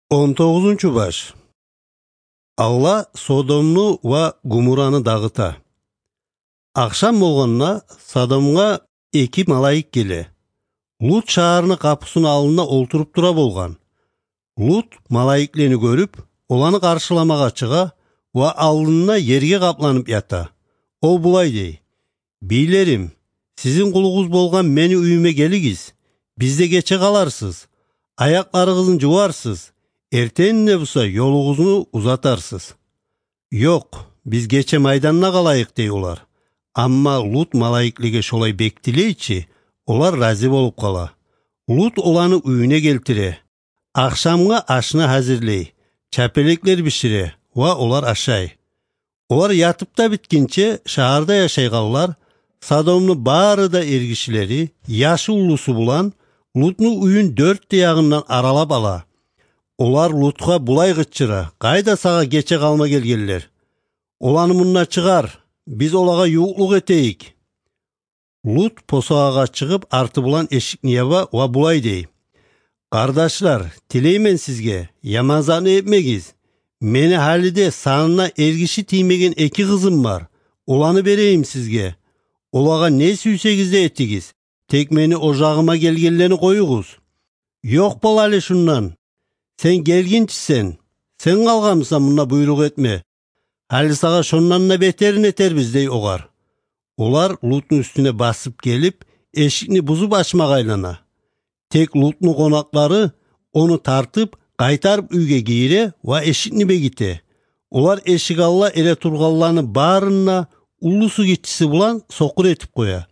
19 Алла Содомну ва Гумураны дагыта. Акшам болгонуна Содомго 2 малайык келе. Лут шаарынын капысынын алдында олтуруп тура болгон. Лут малайыклерни көрүп, оланы каршыламага чыга ва алдына жерге капланып ята. Ол булай дей: "Бийлерим, сиздин кулуңуз болгон мени үйүмө келигиз. Бизде кече каларсыз. Аякларыңызды жуарсыз. Эртеңине булса жолуңузду узатарсыз." "Жок, биз кече майданына калайык" дей улар. Амма Лут малайыклерге шолай бектилейчи, олар разы болуп кала. Лут оланы үйүнө келтире. Акшамга ашына азырлей, чапелеклер бишире ва олар ашай. Олар ятып да биткенче шаарда жашайганлар, Содомдун баары да эргишилери, яшы улусу булан Луттун үйүн 4 ягынан аралап ала. Олар Лутка булай кычыра: "Кайда сага кече калма келгенлер? Оланы мындан чыгар, биз олага юуклук этейик." Лут посоага чыгып арты булан эшикни яба ва булай дей: "Кардашлар, тилеймен сизге, яманзаны этмегиз. Мени халиде санына эргиши тиймеген 2 кызым бар. Оланы берейим сизге. Олага не сүйсеңиз да этигиз. Тек мени ожагыма келгенлерни коюңуз." "Жок болалы шундан. Сен келгинчисен, сен калганмысың мына буйрук этме. Али сага шондан да бетерин этербиз" дей огар. Олар Луттун үстүнө басып келип, эшикни бузуп ачмак айлана. Тек Луттун конаклары ону тартып, кайтарып үйгө кире ва эшикни беките. Олар эшик алла эле турганларны баарына улусу кичиси булан сокур этип коя.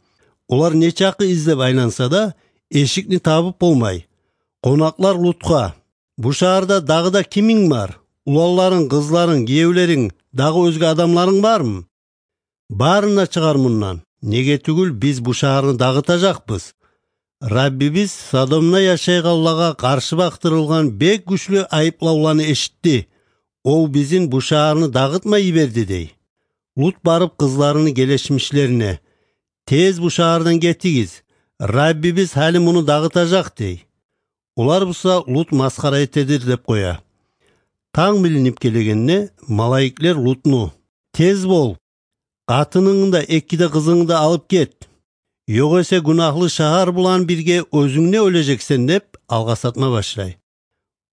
Олар нече акы издеп айланса да, эшикни табып болмай. Конаклар Лутка: "Бу шаарда дагы да кимиң бар? Улаларың, кызларың, күйөөлөрүң, дагы өзгө адамларың бармы? Баарына чыгар мындан. Неге түгүл биз бу шаарды дагытажакпыз. Раббибиз Содомда жашайганларга каршы бактырылган бек күчлүү айыплоолорду эшитти. Ол биздин бу шаарны дагытмай жиберди" дей. Лут барып кызларынын келешмишлерине: "Тез бу шаардан кетигиз. Раббибиз али муну дагытажак" дей. Олар булса Лут маскара этедир деп коя. Таң билинип келгенде малайыклер Лутну: "Тез бол, катының да 2 кызыңды алып кет. Жок эсе гунахлы шаар булан бирге өзүңне өлежексен" деп алга сатма башлай.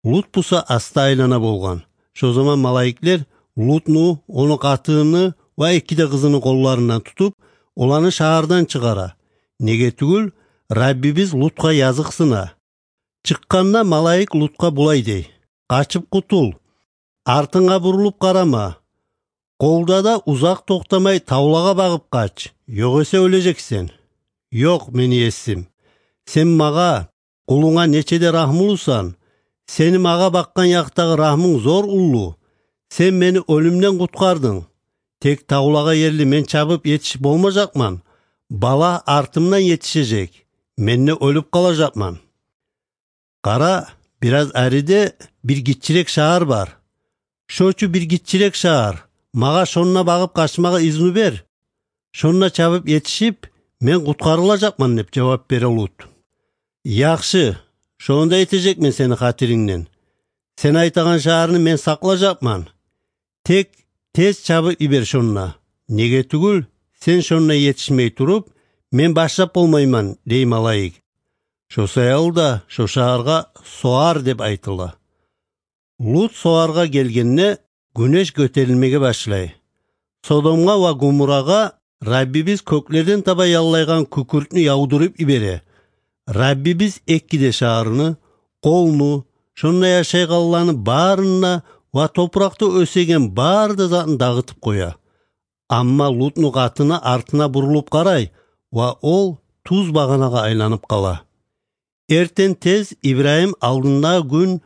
Лут булса аста айлана болгон. Шо заман малайыклер Лутну, onu катыны ва 2 кызынын коллорунан тутуп, оланы шаардан чыгара. Неге түгүл Раббибиз Лутка языксына. Чыкканда малайык Лутка булай дей: "Качып кутул. Артыңа бурулуп карама. Колда да узак токтомай таулага багып кач. Жок эсе өлежексен. Жок, мени эсим. Сен мага, кулуңа нечеде рахмылуусан. Сени мага баккан жактагы рахмың зор улуу. Сен мени өлүмдөн куткардың. Тек таулага жерли мен чабып жетишип болмажакман. Бала артымдан жетишежек. Менне өлүп калажакман. Кара, бир аз ариде бир кичирээк шаар бар. Шочу бир кичирээк шаар. Мага шонуна багып качмага изин бер. Шонуна чабып жетишип, мен куткарылажакман" деп жооп бере Лут. "Жакшы, шонда этежекмин сени катириңден. Сен айтаган шаарны мен саклажакман. Тек тез чабып ибер шонуна. Неге түгүл сен шонуна жетишмей туруп, мен баштап болмойман" дей малайык. Шо саялда шо шаарга Соар деп айтыла. Лут Соарга келгенде күнөш көтөрүлмеге башлай. Содомго ва Гумурага Раббибиз көклөрдөн таба яллайган күкүртнү яудырып ибере. Раббибиз 2 шаарыны, колну, шонда жашайганларны баарына ва топуракта өсөген баар да затын дагытып коя. Амма Лутнун катына артына бурулуп карай ва ол туз баганага айланып кала. Эртең тез Ибрайым алдындагы күн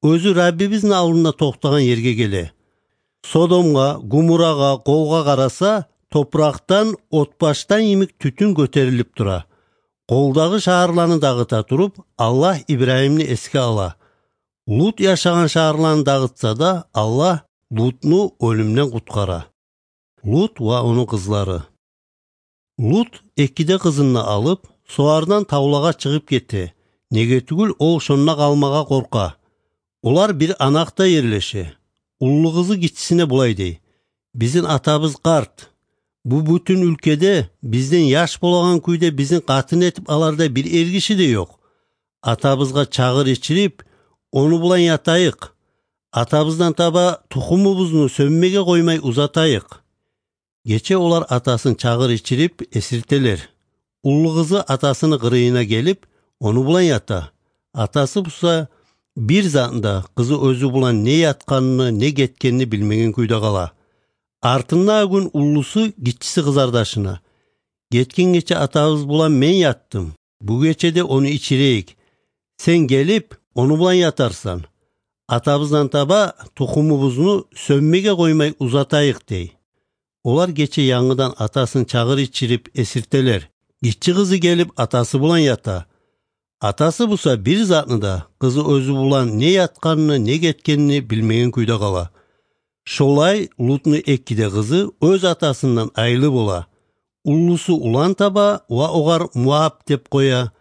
өзү Раббибиздин алдында токтогон жерге келе. Содомго, Гумурага, колго караса, топурактан отбаштан имик түтүн көтөрүлүп тура. Колдагы шаарларны дагыта туруп, Аллах Ибрайымны эске ала. Лут жашаган шаарларны дагытса да, Аллах Лутну өлүмдөн куткара. Лут ва онун кызлары. Лут 2 кызын алып, Соардан таулага чыгып кетти. Неге түгүл ол шонуна калмага корка. Олар bir anakta yerleşe. Ullu kızı gittisine bulay dey. Bizin atabız kart. Bu bütün ülkede bizden yaş bolagan kuyda bizin katın etip alarda bir ergişi de yok. Atabızga çağır içirip onu bulan yatayık. Atabızdan taba tuxumubuzunu sönmege koymay uzatayık. Geçe olar atasını çağır içirip esirteler. Ullu kızı atasını kırığına gelip onu bulan yata. Atası busa bir zatında kızı özü bulan ne yatkanını ne getkenini bilmegen kuyda kala. Артынна gün ullusu gitçisi kızardaşına. Getken geçe atabız bulan men yattım. Bu geçede onu içireyik. Sen gelip onu bulan yatarsan. Atabızdan taba tuxumubuzunu sönmege koymay uzatayık dey. Olar geçe yanıdan atasını çağır içirip esirteler. Gitçi kızı gelip atası bulan yata. Atası busa bir zatında kızı özü bulan ne yatkanını ne getkenini bilmegen kuyda kala. Şolay Lut'nu ekkide kızı öz atasından aylı bola. Ullusu ulan taba va ogar Muab dep koya.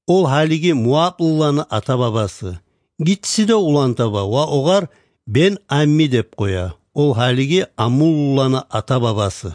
Ol haligi Muab ullanı ata babası. Gitsi de ulan taba va ogar Ben Ammi dep koya. Ol haligi Amul ullanı ata babası.